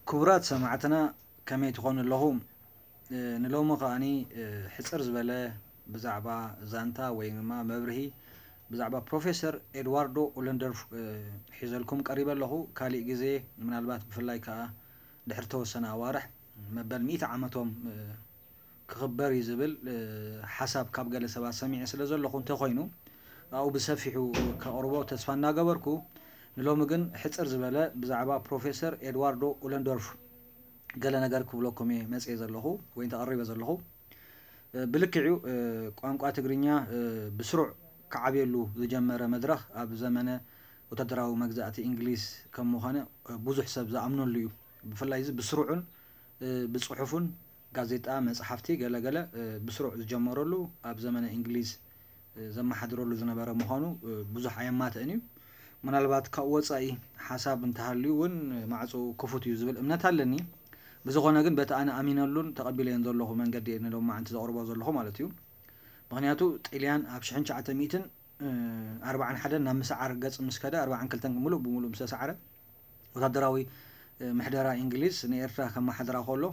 ክቡራት ሰማዕትና፣ ከመይ ትኾኑ ኣለኹም? እ፣ ንሎሚ ከኣኒ፣ እ፣ ሕጽር ዝበለ ብዛዕባ ዛንታ ወይ ድማ መብርሂ ብዛዕባ ፕሮፌሰር ኤድዋርዶ ኡለንደርፍ፣ እ፣ ሒዘልኩም ቀሪበ ኣለኹ። ካሊእ ግዜ፣ ምናልባት ብፍላይ ከኣ ድሕሪ ተወሰነ ኣዋርሕ፣ መበል ሚእቲ ዓመቶም፣ እ፣ ክኽበር እዩ ዝብል፣ እ፣ ሓሳብ ካብ ገለ ሰባት ሰሚዐ ስለ ዘለኹ እንተኾይኑ፣ ኣብኡ ብሰፊሑ ከቕርቦ ተስፋ እናገበርኩ፣ ንሎሚ ግን ሕጽር ዝበለ ብዛዕባ ፕሮፌሰር ኤድዋርዶ ኡለንዶርፍ ገለ ነገር ክብለኩም እየ መጽየ ዘለኹ ወይ ተቐሪበ ዘለኹ። እ፣ ብልክዕ'ዩ፣ እ፣ ቋንቋ ትግርኛ፣ እ፣ ብስሩዕ ክዓብየሉ ዝጀመረ መድረኽ ኣብ ዘመነ ወታደራዊ መግዛእቲ እንግሊዝ ከም ምዃነ፣ እ፣ ብዙሕ ሰብ ዝኣምነሉ እዩ። ብፍላይ እዚ ብስሩዕን፣ እ፣ ብጽሑፍን፣ ጋዜጣ፣ መጽሓፍቲ፣ ገለ ገለ፣ እ፣ ብስሩዕ ዝጀመረሉ ኣብ ዘመነ እንግሊዝ፣ እ፣ ዘመሓድረሉ ዝነበረ ምዃኑ፣ እ፣ ብዙሕ ኣየማትእን እዩ። ምናልባት ካብኡ ወጻኢ ሓሳብ እንተሃልዩ እውን፣ እ፣ ማዕጾ ክፉት እዩ ዝብል እምነት ኣለኒ። ብዝኾነ ግን በቲ ኣነ ኣሚነሉን ተቐቢለዮን ዘለኹ መንገዲ እየ ንሎማዓንቲ ዘቕርቦ ዘለኹ ማለት እዩ። ምኽንያቱ ጥልያን ኣብ ሽሕን ትሽዓተ ሚእትን፣ እ፣ ኣርባዓን ሓደን ናብ ምስዓር ገጽ ምስ ከደ፣ ኣርባዓን ክልተን ምሉእ ብምሉእ ምስ ተሳዕረ፣ ወታደራዊ፣ እ፣ ምሕደራ እንግሊዝ ንኤርትራ ከመሓድራ ከሎ፣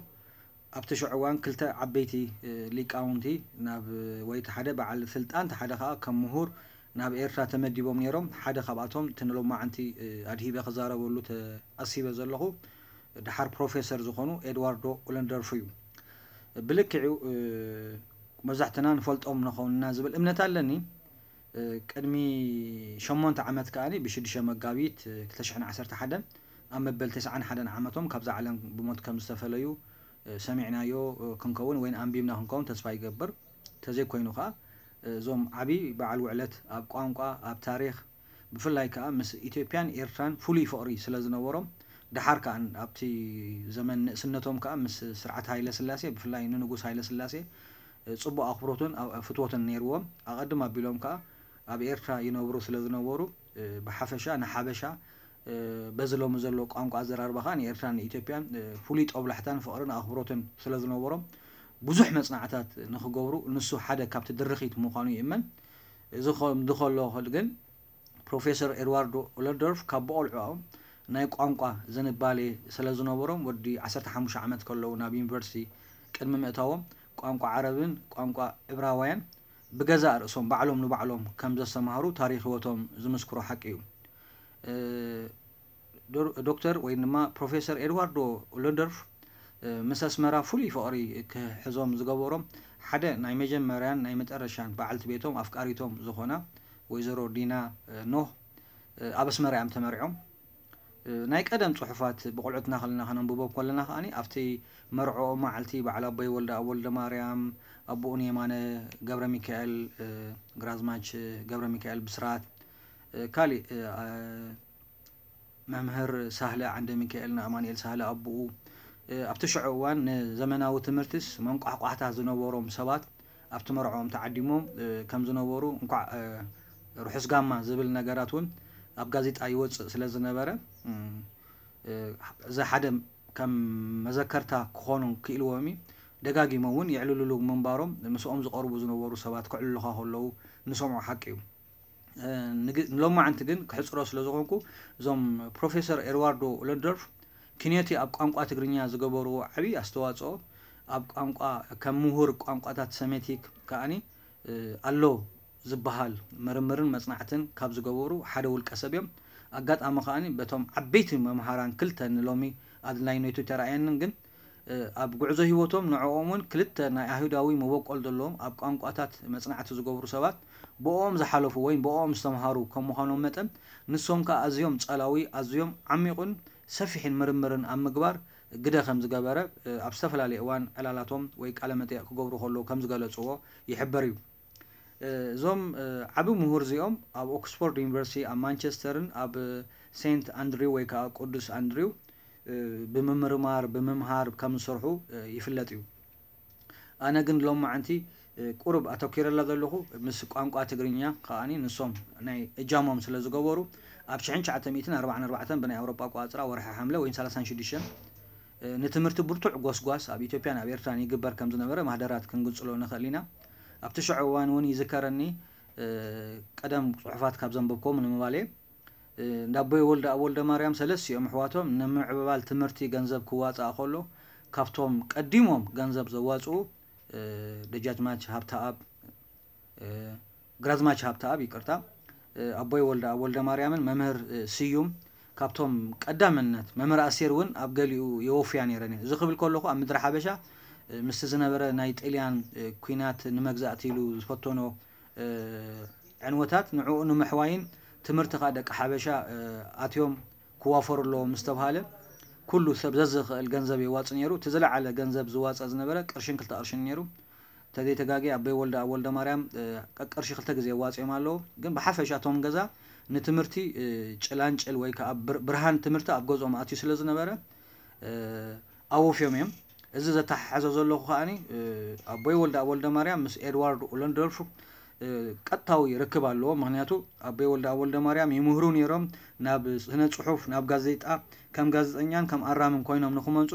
ኣብቲ ሽዑ እዋን ክልተ ዓበይቲ፣ እ፣ ሊቃውንቲ ናብ፣ ወይ እቲ ሓደ በዓል ስልጣን፣ እቲ ሓደ ከኣ ከም ምሁር ናብ ኤርትራ ተመዲቦም ነይሮም። ሓደ ካብኣቶም እቲ ንሎማዓንቲ፣ እ፣ ኣድሂበ ክዛረበሉ ተቐሲበ ዘለኹ ደሓር ፕሮፌሰር ዝኾኑ ኤድዋርዶ ኡለንደርፍ እዩ። ብልክዕ'ዩ፣ እ፣ መብዛሕትና ንፈልጦም ንኸውን ኢና ዝብል እምነት ኣለኒ። እ፣ ቅድሚ ሸሞንተ ዓመት ከኣ ብሽዱሽተ መጋቢት፣ እ፣ ክልተ ሽሕን ዓሰርተ ሓደን ኣብ መበል ተስዓን ሓደን ዓመቶም ካብዛ ዓለም ብሞት ከም ዝተፈለዩ፣ እ፣ ሰሚዕናዮ፣ እ፣ ክንከውን ወይ ኣንቢብና ክንከውን ተስፋ ይገብር። እንተዘይኮይኑ ከኣ፣ እ፣ እዞም ዓቢ በዓል ውዕለት ኣብ ቋንቋ፣ ኣብ ታሪኽ፣ ብፍላይ ከኣ ምስ ኢትዮጵያን ኤርትራን ፍሉይ ፍቕሪ ስለ ዝነበሮም፣ ደሓር ከኣ ኣብቲ ዘመን ንእስነቶም ከኣ ምስ ስርዓት ሃይለ ስላሴ፣ ብፍላይ ንንጉስ ሃይለ ስላሴ፣ እ፣ ጽቡቕ ኣኽብሮትን ኣ-፣ ፍትወትን ነይርዎም። ኣቐድም ኣቢሎም ከኣ ኣብ ኤርትራ ይነብሩ ስለ ዝነበሩ፣ እ፣ ብሓፈሻ ንሓበሻ፣ እ፣ በዚ ሎሚ ዘሎ ቋንቋ ኣዘራርባ ከኣ ንኤርትራን ንኢትዮጵያን፣ እ፣ ፍሉይ ጦብላሕታን ፍቕርን ኣኽብሮትን ስለ ዝነበሮም፣ ብዙሕ መጽናዕታት ንኽገብሩ ንሱ ሓደ ካብቲ ድርኺት ምዃኑ ይእመን። እዚ ከምዚ ከሎ ግን ፕሮፌሰር ኤድዋርዶ ኡለንዶርፍ ካብ ብቖልዕኦም ናይ ቋንቋ ዝንባሌ ስለ ዝነበሮም፣ ወዲ ዓሰርተ ሓሙሽተ ዓመት ከለዉ ናብ ዩኒቨርሲቲ ቅድሚ ምእታዎም፣ ቋንቋ ዓረብን ቋንቋ ዕብራውያን ብገዛእ ርእሶም ባዕሎም ንባዕሎም ከም ዘስተምሃሩ ታሪኽ ህይወቶም ዝምስክሮ ሓቂ እዩ። እ፣ ዶር-፣ ዶክተር ወይ ድማ ፕሮፌሰር ኤድዋርዶ ኡለንዶርፍ፣ እ፣ ምስ ኣስመራ ፍሉይ ፍቕሪ ክሕዞም ዝገበሮም ሓደ ናይ መጀመርያን ናይ መጨረሻን በዓልቲ ቤቶም ኣፍቃሪቶም ዝኾና ወይዘሮ ዲና፣ እ፣ ኖህ፣ እ፣ ኣብ ኣስመራ እዮም ተመርዕዮም። እ፣ ናይ ቀደም ጽሑፋት ብቆልዑትና ከለና ከነንብቦም ከለና ከኣ ኣብቲ መርዕኦም መዓልቲ በዓል ኣቦይ ወልደኣብ ወልደማርያም፣ ኣቦኡን የማነ ገብረሚካኤል፣ እ፣ ግራዝማች ገብረሚካኤል ብስራት፣ እ፣ ካሊእ፣ እ፣ ኣ-፣ መምህር ሳህለ ዓንደሚካኤል ንኣማኑኤል ሳህለ ኣቦኡ፣ እ፣ ኣብቲ ሽዑ እዋን ንዘመናዊ ትምህርትስ መንቋሕቋሕታ ዝነበሮም ሰባት ኣብቲ መርዕኦም ተዓዲሞም፣ እ፣ ከም ዝነበሩ እንኳዕ፣ እ፣ ርሑስ ጋማ ዝብል ነገራት እውን ኣብ ጋዜጣ ይወጽእ ስለ ዝነበረ፣ እም፣ እ፣ እዚ ሓደ ከም መዘከርታ ክኾኑ ክኢልዎም እዩ። ደጋጊሞም እውን የዕልልሉ ምንባሮም ምስኦም ዝቐርቡ ዝነበሩ ሰባት ከዕልሉኻ ከለዉ ንሰምዖ ሓቂ እዩ። እ፣ ንግ-፣ ንሎማዓንቲ ግን ክሕጽሮ ስለ ዝኾንኩ፣ እዞም ፕሮፌሰር ኤድዋርዶ ኡለንዶርፍ ክንዮቲ ኣብ ቋንቋ ትግርኛ ዝገበርዎ ዓቢ ኣስተዋጽኦ፣ ኣብ ቋንቋ፣ ከም ምሁር ቋንቋታት ሰሜቲክ ከኣኒ፣ እ፣ ኣሎ ዝበሃል ምርምርን መጽናዕትን ካብ ዝገበሩ ሓደ ውልቀ ሰብ እዮም። ኣጋጣሚ ከኣኒ በቶም ዓበይቲ መምሃራን ክልተ ንሎሚ ኣድላይነቱ ተራእየንን ግን፣ እ፣ ኣብ ጉዕዞ ህይወቶም ንዕኦም እውን ክልተ ናይ ኣይሁዳዊ መበቆል ዘለዎም ኣብ ቋንቋታት መጽናዕቲ ዝገብሩ ሰባት ብኦም ዝሓለፉ ወይ ብኦም ዝተምሃሩ ከም ምዃኖም መጠን፣ ንሶም ከኣ ኣዝዮም ጸላዊ፣ ኣዝዮም ዓሚቑን ሰፊሕን ምርምርን ኣብ ምግባር ግደ ከም ዝገበረ፣ እ፣ ኣብ ዝተፈላለየ እዋን ዕላላቶም ወይ ቃለ መጠይቕ ክገብሩ ከለዉ ከም ዝገለጽዎ ይሕበር እዩ። እ፣ እዞም፣ እ፣ ዓቢ ምሁር እዚኦም ኣብ ኦክስፎርድ ዩኒቨርሲቲ፣ ኣብ ማንቸስተርን ኣብ ሴንት ኣንድሪው ወይ ከኣ ቅዱስ ኣንድሪው፣ እ፣ ብምምርማር፣ ብምምሃር ከም ዝሰርሑ፣ እ፣ ይፍለጥ እዩ። ኣነ ግን ሎማዓንቲ፣ እ፣ ቁሩብ ኣተኲረላ ዘለኹ ምስ ቋንቋ ትግርኛ ከኣኒ ንሶም ናይ እጃሞም ስለ ዝገበሩ ኣብ ሽሕን ትሽዓተ ሚእትን ኣርባዓን ኣርባዕተን ብናይ ኣውሮጳ ኣቆጻጽራ ወርሒ ሓምለ ወይ ሰላሳን ሽዱሽተን፣ እ፣ ንትምህርቲ ብርቱዕ ጎስጓስ ኣብ ኢትዮጵያን ኣብ ኤርትራን ይግበር ከም ዝነበረ ማህደራት ክንግንጽሎ ንኽእል ኢና። ኣብቲ ሽዑ እዋን እውን ይዝከረኒ፣ እ፣ ቀደም ጽሑፋት ካብ ዘንበብክዎም ንምባል እየ። እንዳ ኣቦይ ወልደ ኣብ ወልደ ማርያም ሰለስቲኦም ኣሕዋቶም ንምዕብባል ትምህርቲ ገንዘብ ክዋፃእ ከሎ ካብቶም ቀዲሞም ገንዘብ ዘዋፅኡ ደጃዝማች ሃብተኣብ ግራዝማች ሃብተኣብ ይቅርታ ኣቦይ ወልደ ኣብ ወልደ ማርያምን መምህር ስዩም ካብቶም ቀዳምነት መምህር ኣስቴር እውን ኣብ ገሊኡ የወፍያ ነይረን እየን። እዚ ክብል ከለኹ ኣብ ምድሪ ሓበሻ ምስቲ ዝነበረ ናይ ጥልያን ኩናት ንመግዛእቲ ኢሉ ዝፈተኖ ዕንወታት ንዕኡ ንምሕዋይን ትምህርቲ ከዓ ደቂ ሓበሻ ኣትዮም ክዋፈሩ ኣለዎም ምስ ተብሃለ ኩሉ ሰብ ዘዝኽእል ገንዘብ የዋፅ ነይሩ። እቲ ዝለዓለ ገንዘብ ዝዋፀ ዝነበረ ቅርሽን ክልተ ቅርሽን ነይሩ። ተዘይተጋጊ ኣቦይ ወልደ ኣብ ወልደ ማርያም ቀቅርሺ ክልተ ግዜ የዋፅኦም ኣለዉ። ግን ብሓፈሻ እቶም ገዛ ንትምህርቲ ጭላንጭል ወይ ከዓ ብርሃን ትምህርቲ ኣብ ገዝኦም ኣትዩ ስለ ዝነበረ ኣወፍዮም እዮም። እዚ ዘተሓሓዘ ዘለኹ ከዓኒ ኣቦይ ወልደ ኣብ ወልደ ማርያም ምስ ኤድዋርድ ኡለንዶርፍ ቀጥታዊ ርክብ ኣለዎ። ምክንያቱ ኣቦይ ወልደ ኣብ ወልደ ማርያም ይምህሩ ነይሮም ናብ ስነ ፅሑፍ ናብ ጋዜጣ ከም ጋዜጠኛን ከም ኣራምን ኮይኖም ንክመፁ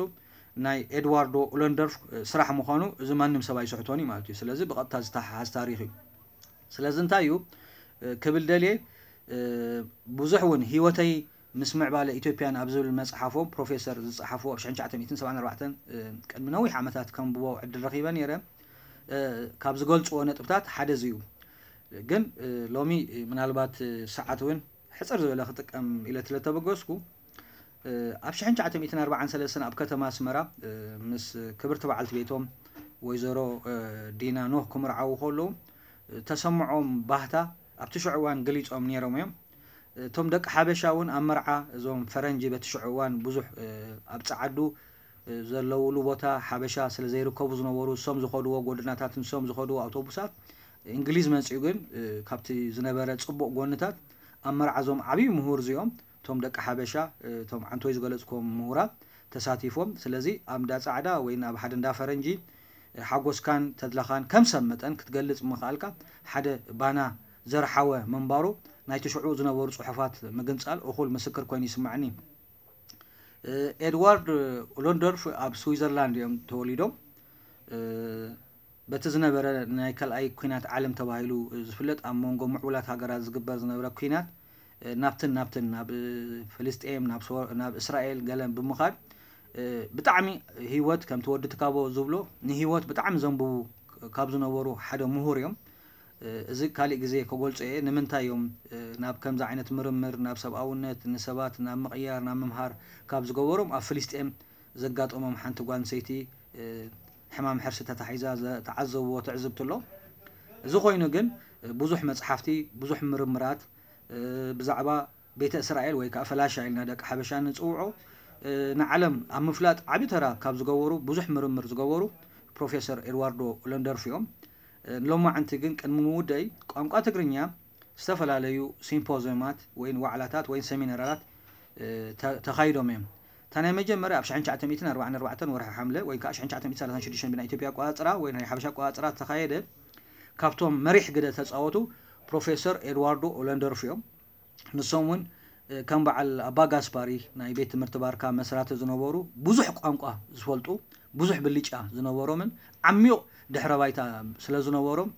ናይ ኤድዋርዶ ኡለንደርፍ ስራሕ ምዃኑ እዚ ማንም ሰብ ኣይስሕቶን እዩ ማለት እዩ። ስለዚ ብቐጥታ ዝተሓሓዝ ታሪኽ እዩ። ስለዚ እንታይ እዩ ክብል ደልየ ብዙሕ እውን ህይወተይ ምስ ምዕባለ ኢትዮጵያን ኣብ ዝብል መፅሓፎም ፕሮፌሰር ዝፀሓፍዎ ኣብ ሽሕን ትሽዓተ ሚእትን ሰብዓን ኣርባዕተን ቅድሚ ነዊሕ ዓመታት ከንብቦ ዕድል ረኺበ ነይረ። ካብ ዝገልፅዎ ነጥብታት ሓደ እዚ እዩ። ግን ሎሚ ምናልባት ሰዓት እውን ሕፅር ዝበለ ክጥቀም ኢለ ስለተበገስኩ ኣብ ሽሕን ትሽዓተ ሚእትን ኣርባዓን ሰለስተን ኣብ ከተማ ኣስመራ ምስ ክብርቲ በዓልቲ ቤቶም ወይዘሮ ዲና ኖህ ክምርዓዉ ከለዉ ተሰምዖም ባህታ ኣብቲ ሽዑ እዋን ገሊፆም ነይሮም እዮም። እቶም ደቂ ሓበሻ እውን ኣብ መርዓ እዞም ፈረንጂ በቲ ሽዑ እዋን ብዙሕ ኣብ ፀዓዱ ዘለውሉ ቦታ ሓበሻ ስለ ዘይርከቡ ዝነበሩ እሶም ዝኸድዎ ጎደናታት ንሶም ዝኸድዎ ኣውቶቡሳት እንግሊዝ መፂኡ ግን ካብቲ ዝነበረ ፅቡቕ ጎንታት ኣብ መርዓ እዞም ዓብዪ ምሁር እዚኦም እቶም ደቂ ሓበሻ እቶም ዓንቶይ ዝገለፅኮም ምሁራት ተሳቲፎም። ስለዚ ኣብ እንዳ ፃዕዳ ወይ ኣብ ሓደ እንዳ ፈረንጂ ሓጎስካን ተድላኻን ከም ሰብ መጠን ክትገልፅ ምኽኣልካ ሓደ ባና ዘርሓወ ምንባሩ ናይቲ ሽዑ ዝነበሩ ፅሑፋት ምግንፃል እኹል ምስክር ኮይኑ ይስማዕኒ። ኤድዋርድ ኡለንዶርፍ ኣብ ስዊዘርላንድ እዮም ተወሊዶም። በቲ ዝነበረ ናይ ካልኣይ ኩናት ዓለም ተባሂሉ ዝፍለጥ ኣብ መንጎ ምዕቡላት ሃገራት ዝግበር ዝነበረ ኩናት ናብትን ናብትን ናብ ፍልስጤም ናብ እስራኤል ገለን ብምኻድ ብጣዕሚ ህይወት ከምቲ ወዲ ትካቦ ዝብሎ ንህይወት ብጣዕሚ ዘንብቡ ካብ ዝነበሩ ሓደ ምሁር እዮም። እዚ ካሊእ ግዜ ከገልጾ እየ ንምንታይ እዮም ናብ ከምዚ ዓይነት ምርምር ናብ ሰብኣውነት ንሰባት ናብ ምቕያር ናብ ምምሃር ካብ ዝገበሮም ኣብ ፍልስጤም ዘጋጠሞም ሓንቲ ጓል ኣንሰይቲ ሕማም ሕርሲ ተታሒዛ ዝተዓዘብዎ ትዕዝብቲ ኣሎ። እዚ ኮይኑ ግን ብዙሕ መፅሓፍቲ ብዙሕ ምርምራት ብዛዕባ ቤተ እስራኤል ወይ ከዓ ፈላሻ ኢልና ደቂ ሓበሻ ንፅውዖ ንዓለም ኣብ ምፍላጥ ዓብዪ ተራ ካብ ዝገበሩ ብዙሕ ምርምር ዝገበሩ ፕሮፌሰር ኤድዋርዶ ኡለንደርፍ እዮም። ንሎማዓንቲ ግን ቅድሚ ምውደይ ቋንቋ ትግርኛ ዝተፈላለዩ ሲምፖዚየማት ወይ ዋዕላታት ወይ ሰሚናራት ተኻይዶም እዮም። እታ ናይ መጀመርያ ኣብ ሽሕን ትሽዓተ ሚእትን ኣርባዓን ኣርባዕተን ወርሒ ሓምለ ወይ ከዓ ሽሕን ትሽዓተ ሚእትን ሰላሳን ሽዱሽተን ብናይ ኢትዮጵያ ኣቆፃፅራ ወይ ናይ ሓበሻ ኣቆፃፅራ ተኻየደ። ካብቶም መሪሕ ግደ ተፃወቱ ፕሮፌሰር ኤድዋርዶ ኦለንደርፍ እዮም። ንሶም እውን ከም በዓል ኣባ ጋስፓሪ ናይ ቤት ትምህርቲ ባርካ መስራቲ ዝነበሩ ብዙሕ ቋንቋ ዝፈልጡ ብዙሕ ብልጫ ዝነበሮምን ዓሚቕ ድሕረ ባይታ ስለ ዝነበሮም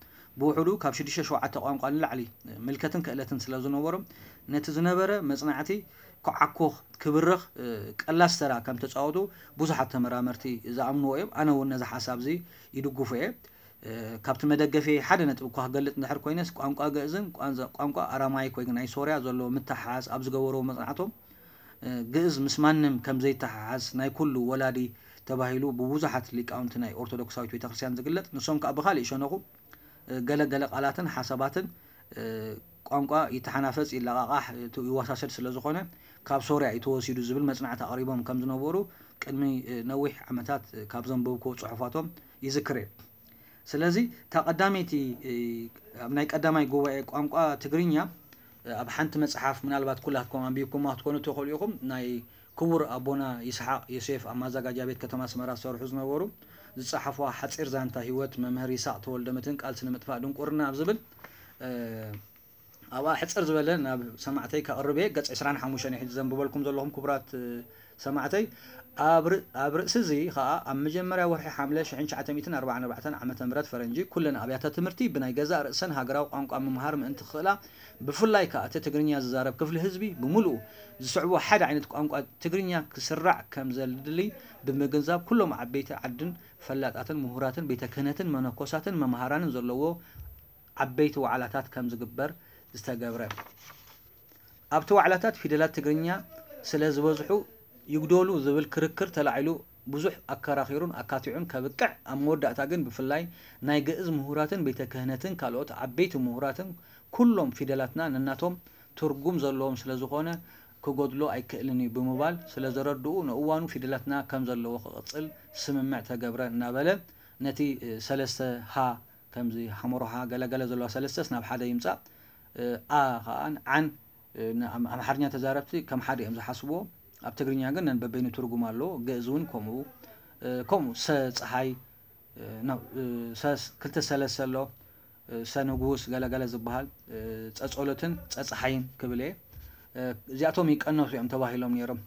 ብውሕዱ ካብ ሽዱሽተ ሸውዓተ ቋንቋ ንላዕሊ ምልከትን ክእለትን ስለ ዝነበሮም ነቲ ዝነበረ መፅናዕቲ ክዓኮኽ ክብርኽ ቀላስ ተራ ከም ተፃወቱ ብዙሓት ተመራመርቲ ዝኣምንዎ እዮም። ኣነ እውን ነዚ ሓሳብ እዚ ይድግፎ እየ። ካብቲ መደገፊ ሓደ ነጥቢ እኳ ክገልፅ እንድሕር ኮይነስ ቋንቋ ግእዝን ቋንቋ ኣራማይክ ወይ ናይ ሶርያ ዘሎ ምትሓሓዝ ኣብ ዝገበርዎ መፅናዕቶም ግእዝ ምስ ማንም ከም ዘይተሓሓዝ ናይ ኩሉ ወላዲ ተባሂሉ ብብዙሓት ሊቃውንቲ ናይ ኦርቶዶክሳዊት ቤተክርስትያን ዝግለፅ ንሶም ከዓ ብካሊእ ሸነኹ ገለ ገለ ቃላትን ሓሳባትን ቋንቋ ይተሓናፈፅ ይለቃቃሕ ይወሳሰድ ስለ ዝኾነ ካብ ሶርያ እዩ ተወሲዱ ዝብል መፅናዕቲ ኣቕሪቦም ከም ዝነበሩ ቅድሚ ነዊሕ ዓመታት ካብ ዘንበብክዎ ፅሑፋቶም ይዝክር እየ። ስለዚ እታ ቀዳመይቲ ኣብ ናይ ቀዳማይ ጉባኤ ቋንቋ ትግርኛ ኣብ ሓንቲ መፅሓፍ ምናልባት ኩላትኩም ኣንቢብኩማ ክትኮኑ ትኽእሉ ኢኹም ናይ ክቡር ኣቦና ይስሓቅ ዮሴፍ ኣብ ማዘጋጃ ቤት ከተማ ኣስመራ ዝሰርሑ ዝነበሩ ዝፀሓፍዋ ሓፂር ዛንታ ህይወት መምህር ይስሓቅ ተወልደ ምትንቃል ስነ ምጥፋእ ድንቁርና ኣብ ዝብል ኣብኣ ሕፅር ዝበለ ናብ ሰማዕተይ ከቕርብ እየ። ገፅ ዕስራን ሓሙሽተን ሕጂ ዘንብበልኩም ዘለኹም ክቡራት ሰማዕተይ፣ ኣብ ር-፣ ኣብ ርእሲ እዚ ኸኣ፣ ኣብ መጀመርያ ወርሒ ሓምለ ሽሕን ትሽዓተ ሚእትን ኣርባዓን ኣርባዕተን ዓመተ ምህረት ፈረንጂ፣ ኩለን ኣብያተ ትምህርቲ ብናይ ገዛእ ርእሰን ሃገራዊ ቋንቋ ምምሃር ምእንቲ ክኽእላ፣ ብፍላይ ከኣ እቲ ትግርኛ ዝዛረብ ክፍሊ ህዝቢ ብምሉኡ ዝስዕቦ ሓደ ዓይነት ቋንቋ ትግርኛ ክስራዕ ከም ዘድሊ ብምግንዛብ፣ ኩሎም ዓበይቲ ዓድን ፈላጣትን ምሁራትን ቤተ ክህነትን መነኮሳትን መምሃራንን ዘለዎ ዓበይቲ ዋዕላታት ከም ዝግበር ዝተገብረ። ኣብቲ ዋዕላታት ፊደላት ትግርኛ ስለ ዝበዝሑ ይጉደሉ ዝብል ክርክር ተላዒሉ ብዙሕ ኣከራኺሩን ኣካቲዑን ከብቅዕ፣ ኣብ መወዳእታ ግን ብፍላይ ናይ ግእዝ ምሁራትን ቤተ ክህነትን ካልኦት ዓበይቲ ምሁራትን ኩሎም ፊደላትና ነናቶም ትርጉም ዘለዎም ስለ ዝኾነ ክጎድሎ ኣይክእልን እዩ ብምባል ስለ ዘረድኡ፣ ንእዋኑ ፊደላትና ከም ዘለዎ ክቕጽል ስምምዕ ተገብረ እናበለ ነቲ ሰለስተ ሃ ከምዚ ሓመሮሃ ገለገለ ዘለዋ ሰለስተስ ናብ ሓደ ይምጻእ። እ፣ ኣ ኸኣ ዓን፣ እ፣ ንኣም-፣ ኣምሓርኛ ተዛረብቲ ከም ሓደ እዮም ዝሓስብዎ። ኣብ ትግርኛ ግን ነንበበይኑ ትርጉም ኣለዎ። ግእዝ እውን ከምኡ። እ፣ ከምኡ ሰ ጸሓይ፣ እ፣ ኖ፣ እ፣ ሰስ-፣ ክልተ ሰለስተ ኣሎ። እ፣ ሰ ንጉስ ገለገለ ዝበሃል፣ እ፣ ጸጸሎትን ጸጸሓይን ክብል እየ። እ፣ እዚኣቶም ይቀነሱ እዮም ተባሂሎም ነይሮም።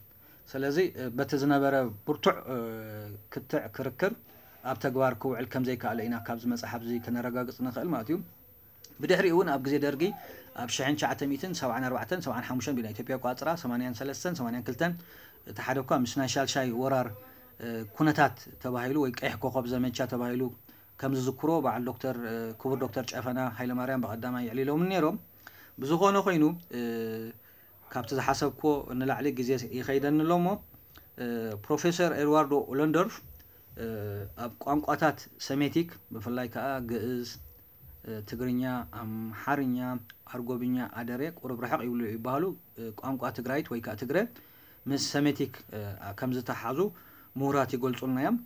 ስለዚ፣ እ፣ በቲ ዝነበረ ብርቱዕ፣ እ፣ ክትዕ ክርክር ኣብ ተግባር ክውዕል ከም ዘይከኣለ ኢና ካብዚ መጽሓፍ እዚ ከነረጋግጽ ንኽእል ማለት እዩ። ብድሕሪኡ እውን ኣብ ግዜ ደርጊ ኣብ ሽሕን ትሽዓተ ሚእትን ሰብዓን ኣርባዕተን ሰብዓን ሓሙሽተን ብናይ ኢትዮጵያ ኣቆጻጽራ ሰማንያን ሰለስተን ሰማንያን ክልተን እቲ ሓደ እኳ ምስ ናይ ሻልሻይ ወራር፣ እ፣ ኩነታት ተባሂሉ ወይ ቀይሕ ኮኸብ ዘመቻ ተባሂሉ ከም ዝዝክሮ በዓል ዶክተር፣ እ፣ ክቡር ዶክተር ጨፈና ሃይለማርያም ብቐዳማይ የዕሊሎምን ነይሮም። ብዝኾነ ኮይኑ፣ እ፣ ካብቲ ዝሓሰብክዎ ንላዕሊ ግዜ ይኸይደኒ ኣሎ እሞ፣ እ፣ ፕሮፌሰር ኤድዋርዶ ኡለንዶርፍ፣ እ፣ ኣብ ቋንቋታት ሰሜቲክ ብፍላይ ከኣ ግእዝ፣ እ፣ ትግርኛ፣ ኣምሓርኛ፣ ኣርጎብኛ፣ ኣደሬ ቁሩብ ርሕቕ ይብሉ ይበሃሉ። እ፣ ቋንቋ ትግራይት ወይ ከኣ ትግረ ምስ ሰሜቲክ፣ እ፣ ከም ዝተሓዙ ምሁራት ይገልጹልና እዮም።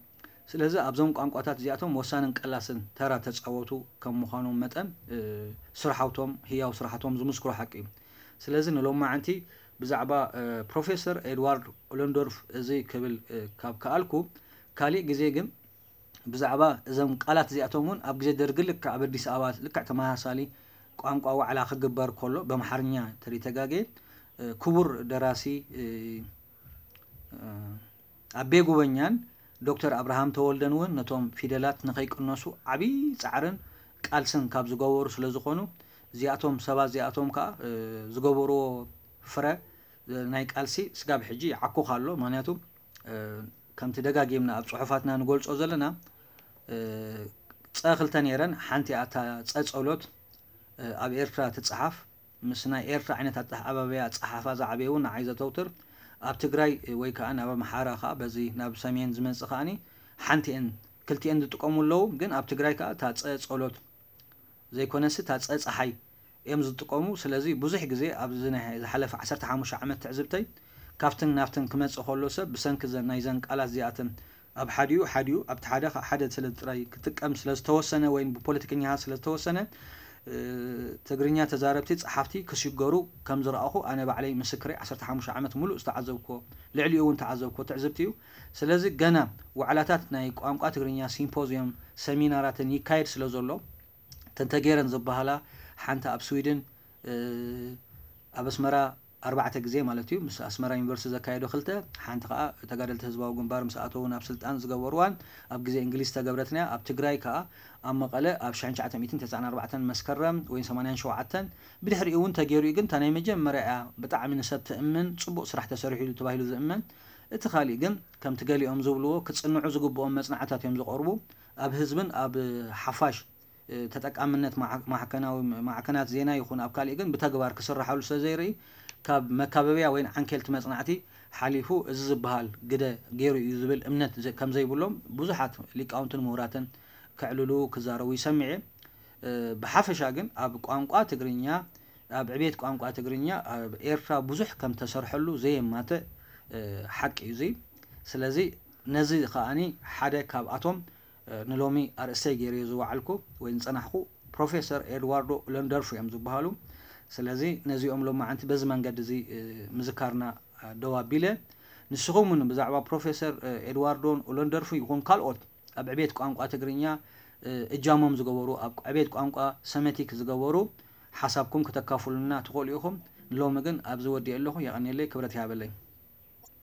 ስለዚ ኣብዞም ቋንቋታት እዚኣቶም ወሳንን ቀላስን ተራ ተጻወቱ ከም ምዃኖም መጠን፣ እ፣ ስርሓውቶም፣ ህያው ስራሕቶም ዝምስክሮ ሓቂ እዩ። ስለዚ ንሎማዓንቲ ብዛዕባ፣ እ፣ ፕሮፌሰር ኤድዋርድ ኡለንዶርፍ እዚ ክብል፣ እ፣ ካብ ከኣልኩ፣ ካሊእ ግዜ ግን ብዛዕባ እዞም ቃላት እዚኣቶም እውን ኣብ ግዜ ደርጊ ልክዕ ኣብ ኣዲስ ኣበባ ልክዕ ተመሳሳሊ ቋንቋ ዋዕላ ክግበር ከሎ፣ በምሓርኛ ተሪተጋጌ፣ እ፣ ክቡር ደራሲ፣ እ፣ እ፣ ኣቤ ጉበኛን ዶክተር ኣብርሃም ተወልደን እውን ነቶም ፊደላት ንኸይቅነሱ ዓብዪ ጻዕርን ቃልስን ካብ ዝገበሩ ስለ ዝኾኑ፣ እዚኣቶም ሰባት እዚኣቶም ከኣ፣ እ፣ ዝገበርዎ ፍረ፣ እ፣ ናይ ቃልሲ ስጋብ ሕጂ ይዓኩኽ ኣሎ። ምኽንያቱ፣ እ፣ ከምቲ ደጋጊምና ኣብ ጽሑፋትና ንገልጾ ዘለና፣ እ፣ ጸ ክልተ ነይረን፣ ሓንቲ እያ እታ ጸ ጸሎት፣ እ፣ ኣብ ኤርትራ ትጸሓፍ፣ ምስ ናይ ኤርትራ ዓይነት ኣተሓባብያ ኣጸሓሕፋ ዝዓበየ እውን ንዓይ ዘተውትር፣ ኣብ ትግራይ ወይ ከኣ ናብ ኣምሓራ ከኣ በዚ ናብ ሰሜን ዝመጽእ ከኣኒ ሓንቲኤን ክልቲኤን ዝጥቀሙ ኣለዉ። ግን ኣብ ትግራይ ከኣ እታ ጸ ጸሎት ዘይኮነሲ እታ ጸ ጸሓይ እዮም ዝጥቀሙ። ስለዚ ብዙሕ ግዜ ኣብዚ ናይ ዝሓለፈ ዓሰርተ ሓሙሽተ ዓመት ትዕዝብተይ ካብትን ናብትን ክመጽእ ከሎ ሰብ ብሰንኪ ዘን ናይዘን ቃላት እዚኣተን ኣብ ሓዲኡ ሓዲኡ ኣብቲ ሓደ ካብ ሓደ ስለ ጥራይ ክጥቀም ስለ ዝተወሰነ ወይ ብፖለቲከኛታት ስለ ዝተወሰነ፣ እ፣ ትግርኛ ተዛረብቲ ጸሓፍቲ ክሽገሩ ከም ዝረኣኹ ኣነ ባዕለይ ምስክረይ ዓሰርተ ሓሙሽተ ዓመት ሙሉእ ዝተዓዘብኩዎ፣ ልዕሊኡ እውን ተዓዘብኩዎ ትዕዝብቲ እዩ። ስለዚ ገና ዋዕላታት ናይ ቋንቋ ትግርኛ ሲምፖዝዮም፣ ሰሚናራትን ይካየድ ስለ ዘሎ፣ እተን ተገይረን ዝበሃላ ሓንቲ ኣብ ስዊድን፣ እ፣ ኣብ ኣስመራ ኣርባዕተ ግዜ ማለት እዩ፣ ምስ ኣስመራ ዩኒቨርሲቲ ዘካየዶ ክልተ፣ ሓንቲ ከኣ ተጋደልቲ ህዝባዊ ግንባር ምስ ኣተዉ ናብ ስልጣን ዝገበርዋን ኣብ ግዜ እንግሊዝ ዝተገብረትን እያ። ኣብ ትግራይ ከኣ ኣብ መቐለ ኣብ ሽሕን ትሽዓተ ሚእትን ተስዓን ኣርባዕተን መስከረም ወይ ሰማንያን ሸውዓተን፣ ብድሕሪኡ እውን ተገይሩ እዩ፣ ግን እታ ናይ መጀመርያ እያ ብጣዕሚ ንሰብ ትእምን፣ ጽቡቕ ስራሕ ተሰሪሑ ኢሉ ተባሂሉ ዝእመን። እቲ ካሊእ ግን ከምቲ ገሊኦም ዝብልዎ ክጽንዑ ዝግብኦም መጽናዕታት እዮም ዝቐርቡ። ኣብ ህዝብን ኣብ ሓፋሽ እ፣ ተጠቃምነት ማዕ-፣ ማዕከናዊ ማዕከናት ዜና ይኹን ኣብ ካሊእ ግን ብተግባር ክስርሓሉ ስለ ዘይርኢ፣ ካብ መካበብያ ወይ ዓንኬልቲ መጽናዕቲ ሓሊፉ እዚ ዝበሃል ግደ ገይሩ እዩ ዝብል እምነት ዘ-፣ ከም ዘይብሎም ብዙሓት ሊቃውንትን ምሁራትን ከዕልሉ ክዛረቡ ይሰምዕ እየ። እ፣ ብሓፈሻ ግን ኣብ ቋንቋ ትግርኛ፣ ኣብ ዕቤት ቋንቋ ትግርኛ ኣብ ኤርትራ ብዙሕ ከም ተሰርሐሉ ዘየማትእ፣ እ፣ ሓቂ እዩ እዚ። ስለዚ ነዚ ከኣኒ ሓደ ካብኣቶም እ፣ ንሎሚ ኣርእስተይ ገይረዮ ዝወዓልኩ ወይ ዝጸናሕኩ ፕሮፌሰር ኤድዋርዶ ኡለንደርፍ እዮም ዝበሃሉ። ስለዚ ነዚኦም ሎማዓንቲ በዚ መንገዲ እዚ፣ እ፣ ምዝካርና፣ እ፣ ደው ኣቢለ፣ ንስኹም እውን ብዛዕባ ፕሮፌሰር፣ እ፣ ኤድዋርዶን ኡለንደርፍ ይኹን ካልኦት ኣብ ዕቤት ቋንቋ ትግርኛ፣ እ፣ እጃሞም ዝገበሩ፣ ኣብ ዕቤት ቋንቋ ሰመቲክ ዝገበሩ ሓሳብኩም ክተካፍሉና ትኽእሉ ኢኹም። ንሎሚ ግን ኣብዚ ወዲኤ ኣለኹ። የቐንየለይ፣ ክብረት ይሃበለይ።